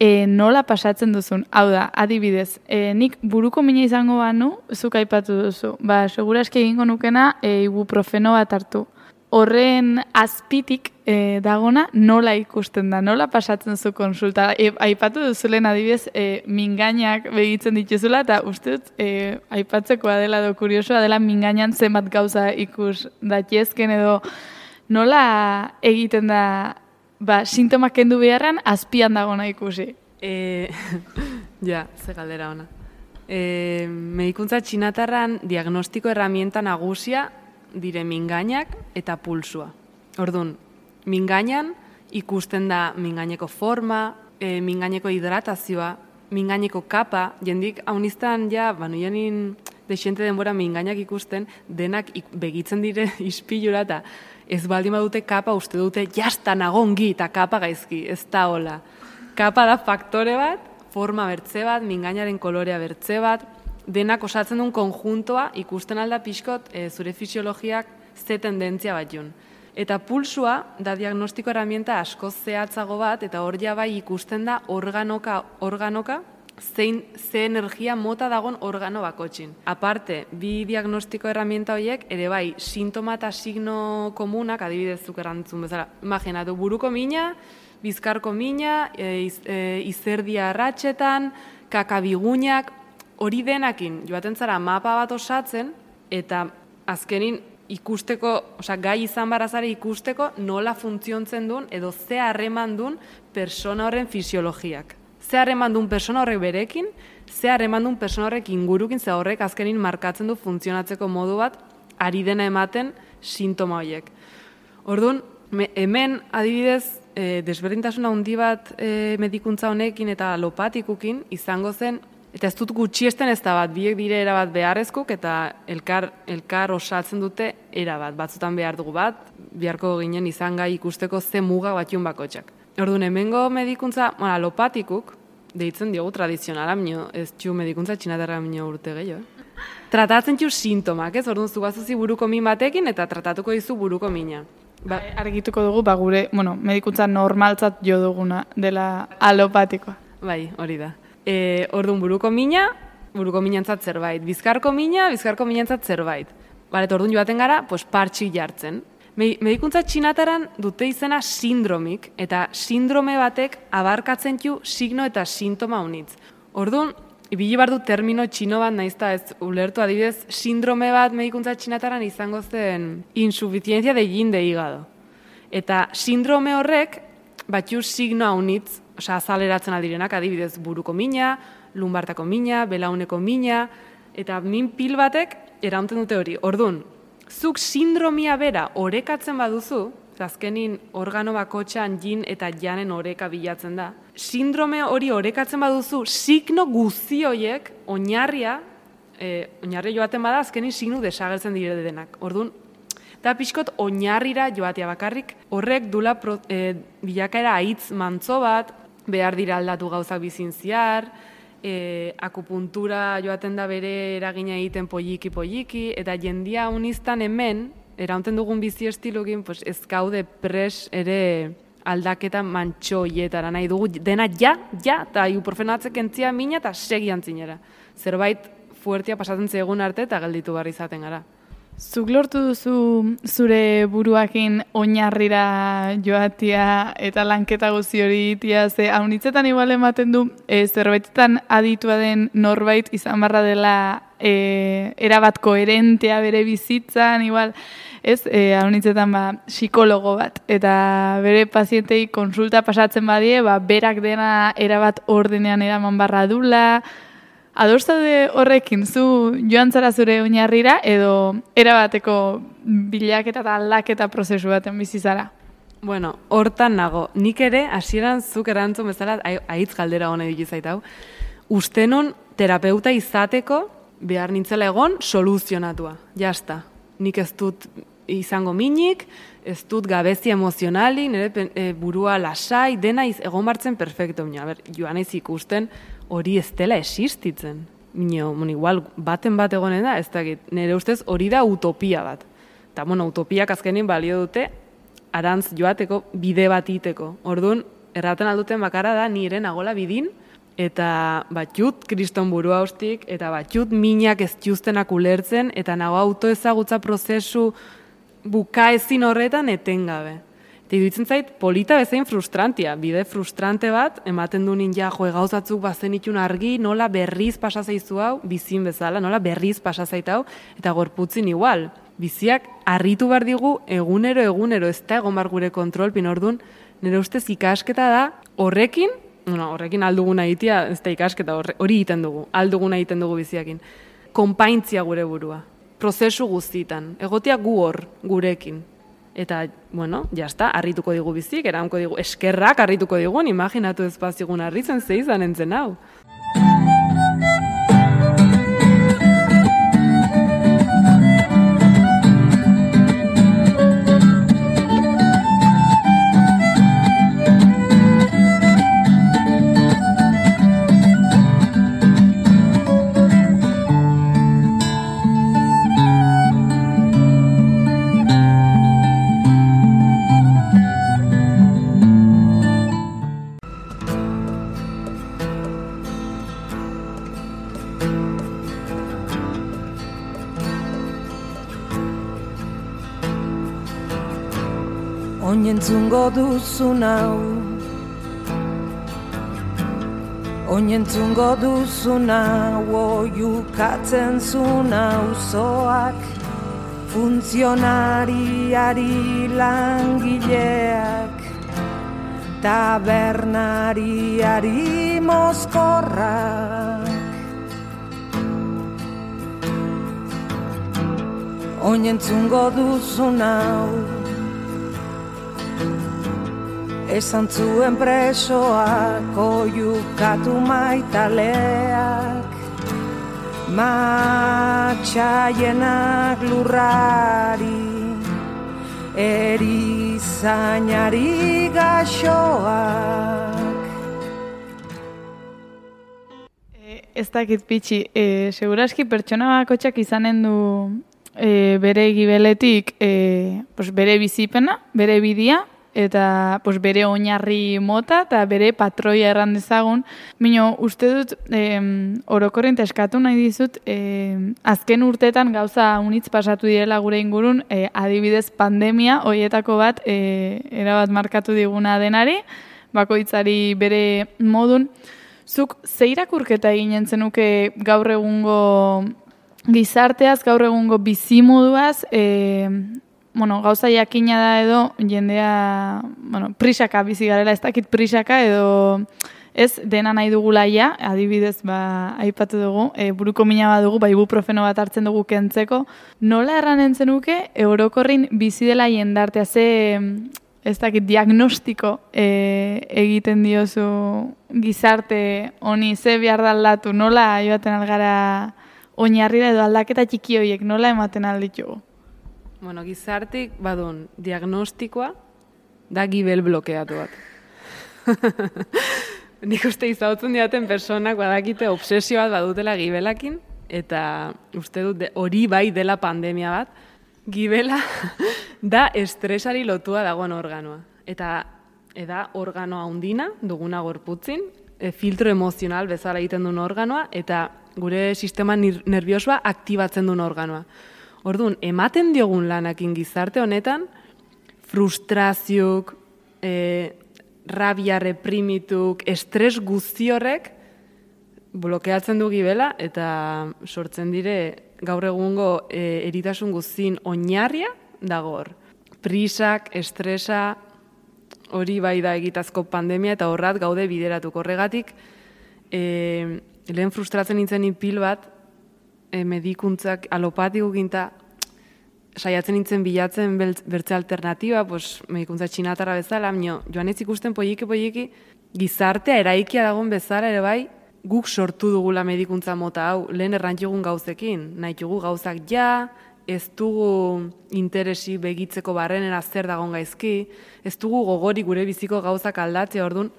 e, nola pasatzen duzun. Hau da, adibidez, e, nik buruko mina izango banu, zuk aipatu duzu. Ba, seguraski egingo nukena e, ibuprofeno bat hartu. Horren azpitik e, dagona nola ikusten da, nola pasatzen zu konsulta. E, aipatu duzulen adibidez e, mingainak begitzen dituzula, eta uste dut e, aipatzekoa dela edo kuriosoa dela mingainan zenbat gauza ikus datiezken edo nola egiten da ba, sintomak kendu beharran azpian dagona ikusi. E, ja, ze galdera ona. E, medikuntza txinatarran diagnostiko herramienta nagusia dire mingainak eta pulsua. Orduan, mingainan ikusten da mingaineko forma, e, mingaineko hidratazioa, mingaineko kapa, jendik hauniztan ja, banu janin desente denbora mingainak ikusten, denak ik, begitzen dire ispilura eta ez baldin badute kapa uste dute jastan agongi eta kapa gaizki, ez da hola. Kapa da faktore bat, forma bertze bat, mingainaren kolorea bertze bat, denak osatzen duen konjuntoa ikusten alda pixkot e, zure fisiologiak ze tendentzia bat jun. Eta pulsua da diagnostiko herramienta askoz zehatzago bat, eta hor ja bai ikusten da organoka, organoka zein, ze energia mota dagon organo bakotxin. Aparte, bi diagnostiko herramienta horiek ere bai sintoma eta signo komunak, adibidez zuk erantzun bezala, imaginatu buruko mina, bizkarko mina, e, iz, e, izerdia arratxetan, kakabigunak, hori denakin joaten zara mapa bat osatzen, eta azkenin ikusteko, osea, gai izan barazare ikusteko nola funtziontzen duen edo ze harreman duen persona horren fisiologiak. Ze harreman duen persona horrek berekin, ze harreman duen persona horrek ingurukin, ze horrek azkenin markatzen du funtzionatzeko modu bat ari dena ematen sintoma horiek. Orduan, hemen adibidez, e, desberdintasuna handi bat e, medikuntza honekin eta alopatikukin izango zen. Eta ez dut gutxiesten ez da bat, biek dire erabat beharrezkuk eta elkar, elkar osatzen dute erabat. Batzutan behar dugu bat, beharko ginen izan gai ikusteko ze muga batxun bakotxak. Orduan, hemengo medikuntza, bueno, alopatikuk, deitzen diogu tradizionala, minio, ez txu medikuntza txinatarra minio urte gehiago. Eh? Tratatzen txu sintomak, ez? Orduan, zu bazuzi buruko min batekin eta tratatuko dizu buruko mina. Ba, argituko dugu, ba, gure, bueno, medikuntza normaltzat jo duguna dela alopatikoa. Bai, hori da. E, orduan buruko mina, buruko minantzat zerbait. Bizkarko mina, bizkarko minantzat zerbait. Bale, orduan joaten gara, pues, partxik jartzen. Medikuntza txinataran dute izena sindromik, eta sindrome batek abarkatzen du signo eta sintoma unitz. Orduan, ibili bar du termino txino bat, naizta ez ulertu adibidez, sindrome bat medikuntza txinataran izango zen insuficiencia de yin de hígado. Eta sindrome horrek, batxu signoa unitz, osea, azaleratzen aldirenak, adibidez, buruko mina, lumbartako mina, belauneko mina, eta min pil batek eraunten dute hori. Orduan, zuk sindromia bera orekatzen baduzu, azkenin organo bakotxan jin eta janen oreka bilatzen da, sindrome hori orekatzen baduzu, signo guzti horiek, oinarria, e, oinarria joaten bada, azkenin signo desagertzen dire denak. Orduan, eta pixkot oinarrira joatea bakarrik, horrek dula pro, e, bilakaera aitz mantzo bat, behar dira aldatu gauzak bizin ziar, e, akupuntura joaten da bere eragina egiten poliki-poliki, eta jendia uniztan hemen, eraunten dugun bizi estilukin, pues, ez gaude pres ere aldaketa mantxoietara nahi dugu, dena ja, ja, eta ibuprofenatzek entzia mina eta segi antzinera. Zerbait fuertia pasatzen zegoen arte eta gelditu barri izaten gara. Zuk lortu duzu zure buruakin oinarrira joatia eta lanketa guzti hori itia, ze haunitzetan igual ematen du, e, zerbaitetan aditua den norbait izan barra dela e, erabat koherentea bere bizitzan, igual, ez, e, haunitzetan ba, psikologo bat, eta bere pazientei konsulta pasatzen badie, ba, berak dena erabat ordenean eraman barra dula, ados zaude horrekin, zu joan zara zure oinarrira, edo erabateko bilaketa eta aldaketa prozesu baten bizi zara? Bueno, hortan nago. Nik ere, hasieran zuk erantzun bezala, ahitz galdera hona dut zait hau, uste nun terapeuta izateko behar nintzela egon soluzionatua. Jasta. Nik ez dut izango minik, ez dut gabezi emozionali, nire e, burua lasai, dena iz, egon bartzen perfecto. Mino, a ber, joan ez ikusten hori ez dela existitzen. Mino, mon, igual, baten bat egonen da, ez dakit, nire ustez hori da utopia bat. Eta, bueno, utopiak azkenin balio dute, arantz joateko, bide bat iteko. Orduan, erraten alduten bakarra da, nire nagola bidin, eta batxut kriston burua hostik, eta batxut minak ez justenak ulertzen, eta nago autoezagutza prozesu bukaezin horretan etengabe. Eta iduitzen zait, polita bezain frustrantia, bide frustrante bat, ematen du ninja, jo, gauzatzuk bazen itxun argi, nola berriz pasazaizu hau, bizin bezala, nola berriz pasazait hau, eta gorputzin igual. Biziak harritu behar digu egunero, egunero, ez da egon bar gure kontrolpin, orduan, nire ustez ikasketa da, horrekin, bueno, horrekin alduguna egitea, ez da ikasketa, hori egiten dugu, alduguna egiten dugu biziakin, konpaintzia gure burua, prozesu guztitan, egotea gu hor, gurekin. Eta, bueno, jazta, harrituko digu bizik, eranko digu, eskerrak harrituko digun, imaginatu ezpazigun harritzen ze izan entzen hau. Oinentzungo duzun hau, oinentzungo duzun hau, oiukatzen zun auzoak, funtzionariari langileak, tabernariari mozkorrak. Oinentzungo duzun hau, esan zuen presoak, oiukatu maitaleak, matxaienak lurrari, erizainari gaxoak. E, ez dakit pitxi, e, seguraski pertsona bakotxak izanen du e, bere gibeletik e, pues bere bizipena, bere bidia, eta pues, bere oinarri mota eta bere patroia erran dezagun. Mino, uste dut, eh, orokorrente eskatu nahi dizut, eh, azken urteetan gauza unitz pasatu direla gure ingurun, eh, adibidez pandemia, hoietako bat, eh, erabat markatu diguna denari, bakoitzari bere modun. Zuk ze irakurketa eginen zenuke gaur egungo gizarteaz, gaur egungo bizimoduaz, eh, bueno, gauza jakina da edo jendea, bueno, prisaka bizi garela, ez dakit prisaka edo ez dena nahi dugula ja, adibidez ba aipatu dugu, e, buruko mina bat dugu, ba ibuprofeno bat hartzen dugu kentzeko. Nola erranen zenuke orokorrin bizi dela jendartea, ze ez dakit diagnostiko e, egiten diozu gizarte honi, ze behar da aldatu, nola joaten algara oinarrira edo aldaketa txiki horiek, nola ematen alditugu? Bueno, gizartik, badun, diagnostikoa da gibel blokeatu bat. Nik uste izautzen diaten personak badakite obsesio bat badutela gibelakin, eta uste dut hori bai dela pandemia bat, gibela da estresari lotua dagoen organoa. Eta eda organoa handina, duguna gorputzin, e, filtro emozional bezala egiten duen organoa, eta gure sistema nerviosoa aktibatzen duen organoa. Orduan, ematen diogun lanakin gizarte honetan, frustraziok, e, rabia reprimituk, estres guzti horrek blokeatzen du gibela, eta sortzen dire gaur egungo e, eritasun guztien oinarria dago hor. Prisak, estresa, hori bai da egitazko pandemia, eta horrat gaude bideratuko horregatik, e, lehen frustratzen nintzen pil bat, e, medikuntzak alopatiko ginta, saiatzen nintzen bilatzen bertze alternatiba, pues, medikuntza txinatarra bezala, mino, joan ez ikusten poieki-poieki, gizartea eraikia dagoen bezala ere bai, guk sortu dugula medikuntza mota hau, lehen errantzugun gauzekin, nahi dugu gauzak ja, ez dugu interesi begitzeko barrenera zer dagoen gaizki, ez dugu gogori gure biziko gauzak aldatzea, orduan,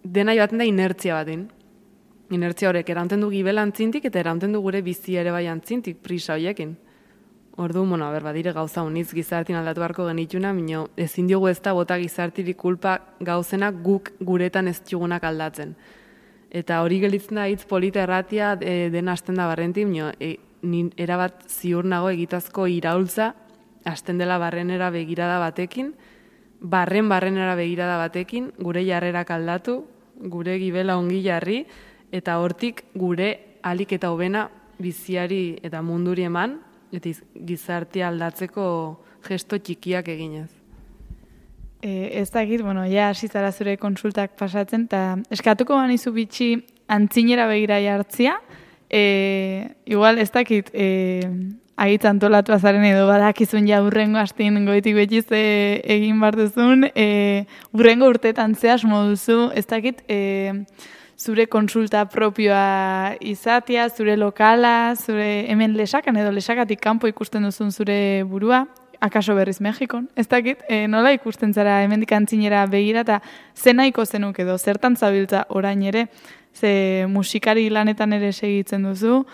dena joaten da inertzia batin. Inertzia horrek, eraunten du gibela antzintik, eta eraunten du gure bizi ere bai antzintik, prisa horiekin. Ordu, bueno, ber, badire gauza honitz gizartin aldatu beharko genituna, mino, ezin diogu ez da bota gizartirik kulpa gauzena guk guretan ez txugunak aldatzen. Eta hori gelitzen da hitz polita erratia e, dena hasten da barrenti, mino, e, ni erabat ziur nago egitazko iraultza, hasten dela barrenera begirada batekin, barren barrenera begirada batekin, gure jarrerak aldatu, gure gibela ongi jarri, eta hortik gure alik eta hobena biziari eta munduri eman, eta gizartea aldatzeko gesto txikiak eginez. E, ez dakit, bueno, ja hasizara zure konsultak pasatzen, eta eskatuko banizu bitxi antzinera begira jartzia, e, igual ez dakit, e, agitz antolatu azaren edo badakizun ja urrengo hastin goitik betiz e, egin bar duzun, e, urrengo urtetan zehaz moduzu, ez dakit, e, zure konsulta propioa izatea, zure lokala, zure hemen lesakan edo lesakatik kanpo ikusten duzun zure burua, akaso berriz Mexikon, ez dakit, e, nola ikusten zara hemendik antzinera begira eta ze nahiko zenuk edo zertan zabiltza orain ere, ze musikari lanetan ere segitzen duzu,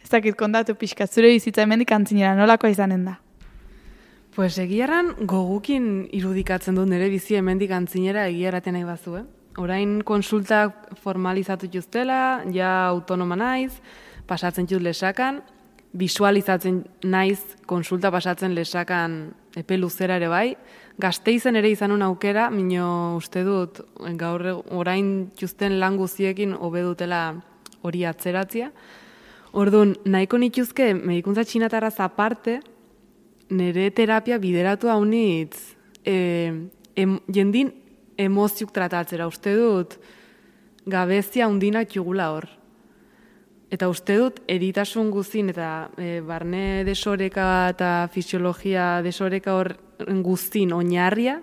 ez dakit kontatu pixka, zure bizitza hemendik antzinera nolakoa izanen da? Pues egiaran gogukin irudikatzen dut nire bizi hemendik antzinera egiaraten nahi bazu, eh? Orain konsultak formalizatu justela, ja autonoma naiz, pasatzen jut lesakan, visualizatzen naiz konsulta pasatzen lesakan epe luzera ere bai. Gasteizen ere izanun aukera, mino uste dut gaur orain justen lan guziekin hobe dutela hori atzeratzia. Orduan, nahiko nituzke medikuntza txinatarraz aparte, nire terapia bideratu haunitz e, em, jendin emoziuk tratatzera, uste dut gabezia hundinak jugula hor. Eta uste dut eritasun guzin eta e, barne desoreka eta fisiologia desoreka hor guztin oinarria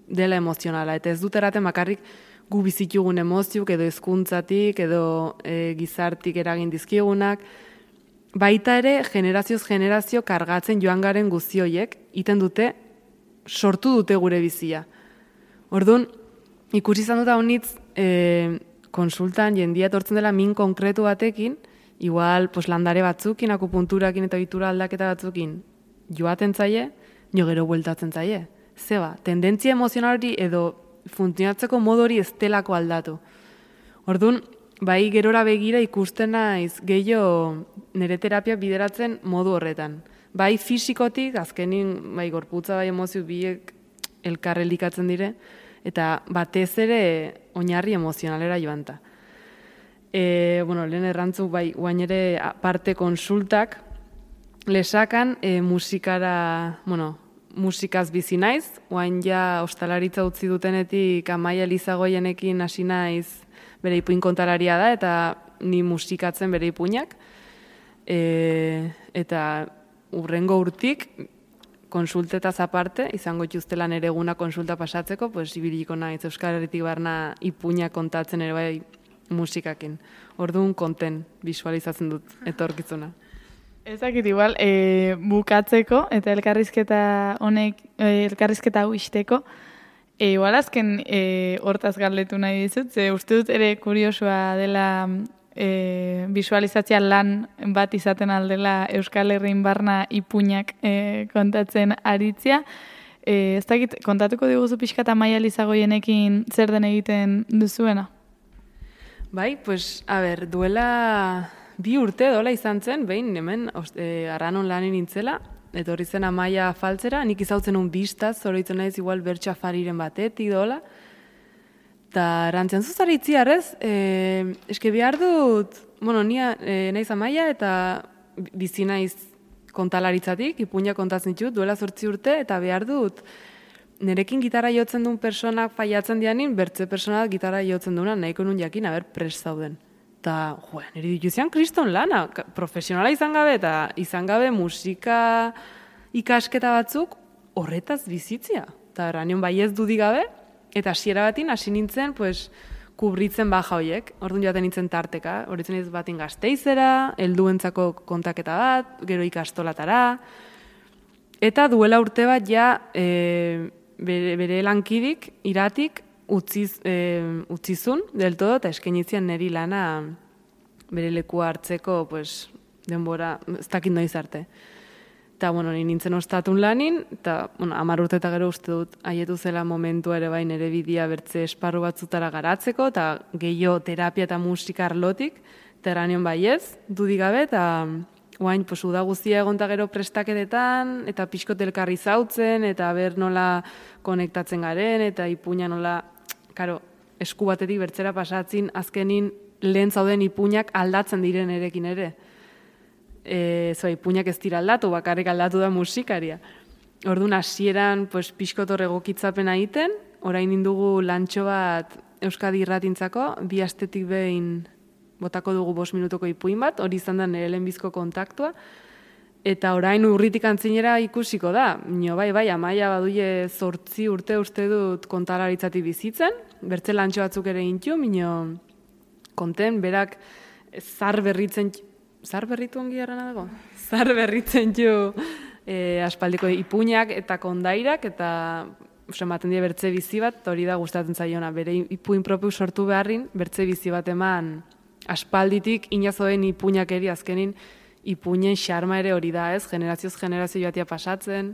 dela emozionala. Eta ez dut eraten bakarrik gu bizitugun emoziuk edo hezkuntzatik edo e, gizartik eragin dizkigunak. Baita ere generazioz generazio kargatzen joan garen guztioiek iten dute sortu dute gure bizia. Orduan, ikusi izan dut honitz e, konsultan jendia etortzen dela min konkretu batekin, igual pues, landare batzukin, akupunturakin eta ohitura aldaketa batzukin joaten zaie, jo gero bueltatzen zaie. Zeba, tendentzia emozionalari edo funtzionatzeko modu hori ez delako aldatu. Orduan, bai gerora begira ikusten naiz gehiago nire terapia bideratzen modu horretan. Bai fisikotik, azkenin bai gorputza bai emozio biek elkarrelikatzen dire, eta batez ere oinarri emozionalera joanta. E, bueno, lehen errantzu bai guain ere parte konsultak lesakan e, musikara, bueno, musikaz bizi naiz, guain ja ostalaritza utzi dutenetik Amaia Elizagoienekin hasi naiz bere ipuin kontalaria da, eta ni musikatzen bere ipuinak, e, eta urrengo urtik konsultetaz aparte, izango ituztela nere eguna konsulta pasatzeko, pues, ibiliko naiz Euskal Herritik barna ipuinak kontatzen ere bai musikakin. Orduan konten visualizatzen dut etorkizuna. Ez dakit igual, e, bukatzeko eta elkarrizketa honek, e, elkarrizketa hau isteko, e, igual azken e, hortaz galdetu nahi dizut, ze uste dut ere kuriosua dela e, visualizatzea lan bat izaten aldela Euskal Herrin barna ipuinak e, kontatzen aritzia. E, ez dakit, kontatuko diguzu pixka eta Amaia Elizagoienekin zer den egiten duzuena? Bai, pues, a ber, duela bi urte dola izan zen, behin, hemen, e, arranon lanin nintzela, etorri zen Amaia faltzera, nik izautzen un bistaz, zoroitzen naiz igual bertxa fariren batetik dola, eta erantzian zuzara itziarrez, e, eske behar dut, bueno, nia e, naiz Amaia eta bizi naiz kontalaritzatik, ipuina kontatzen ditut, duela zortzi urte, eta behar dut, nerekin gitarra jotzen duen personak faiatzen dianin, bertze personak gitarra jotzen duena, nahiko nun jakin, aber prest zauden. eta, jo, niri dituzian kriston lana, profesionala izan gabe, eta izan gabe musika ikasketa batzuk horretaz bizitzia. Eta eranion bai ez dudik gabe, eta hasiera batin hasi nintzen, pues, kubritzen baja hoiek. Orduan joaten nintzen tarteka, horitzen ez batin Gasteizera, helduentzako kontaketa bat, gero ikastolatara, eta duela urte bat ja e, bere, bere lankidik, iratik, utziz, e, utzizun del todo, eta eskainitzian niri lana bere lekua hartzeko, pues, denbora, ez dakit noiz arte. Eta, bueno, nintzen ostatun lanin, eta, bueno, hamar urte eta gero uste dut haietu zela momentua ere bain ere bidea bertze esparru batzutara garatzeko, eta gehiago terapia eta musika arlotik, eta eranion baiez, dudik gabe, eta oain, pues, uda guztia egon eta gero prestaketetan, eta pixkot elkarri zautzen, eta ber nola konektatzen garen, eta ipuina nola, karo, esku batetik bertzera pasatzin, azkenin lehen zauden ipuinak aldatzen diren erekin ere. E, zoa, ipuinak ez dira aldatu, bakarrik aldatu da musikaria. Orduan, hasieran, pues, pixkot horregokitzapen egiten, orain indugu lantxo bat Euskadi irratintzako, bi astetik behin botako dugu bost minutuko ipuin bat, hori izan da nire lehenbizko kontaktua, eta orain urritik antzinera ikusiko da. Nio, bai, bai, Amaia baduie zortzi urte uste dut kontalaritzatik bizitzen, bertze lantxo batzuk ere intu, minio konten, berak zar berritzen, zar berritu ongi errana dago? Zar berritzen ju e, aspaldiko ipuinak eta kondairak, eta ematen die bertze bizi bat, hori da gustatzen zaiona, bere ipuin propiu sortu beharrin, bertze bizi bat eman aspalditik inazoen ipuinak eri azkenin, ipuinen xarma ere hori da, ez? Generazioz generazio joatia pasatzen,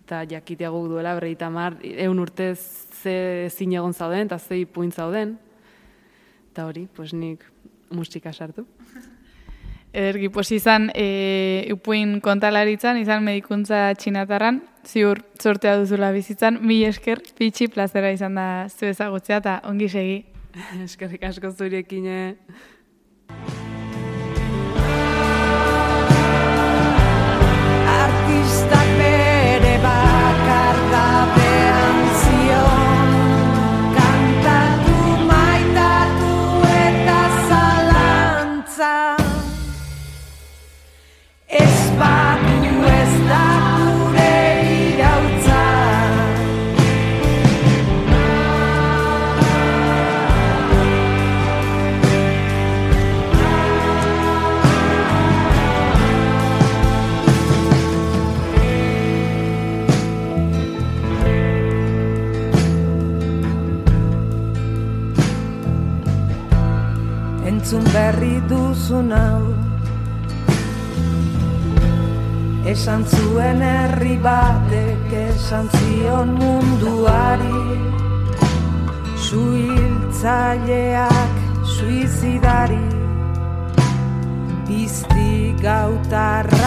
eta jakitea guk duela, berreita mar, eun urte ze zin egon zauden, eta ze ipuin zauden. Eta hori, pues nik musika sartu. Ederki, pues izan e, ipuin kontalaritzan, izan medikuntza txinatarran, ziur sortea duzula bizitzan, mi esker, pitxi plazera izan da zu ezagutzea, eta ongi segi. Eskerrik asko zurekin, Artistak bere bakardadean zion, kantatu, maitatu eta zalantza. Ez badu ez da gure irautza. Entzun berri duzun hau, esan zuen herri batek esan zion munduari, suhiltzaileak suizidari, pizti gautarra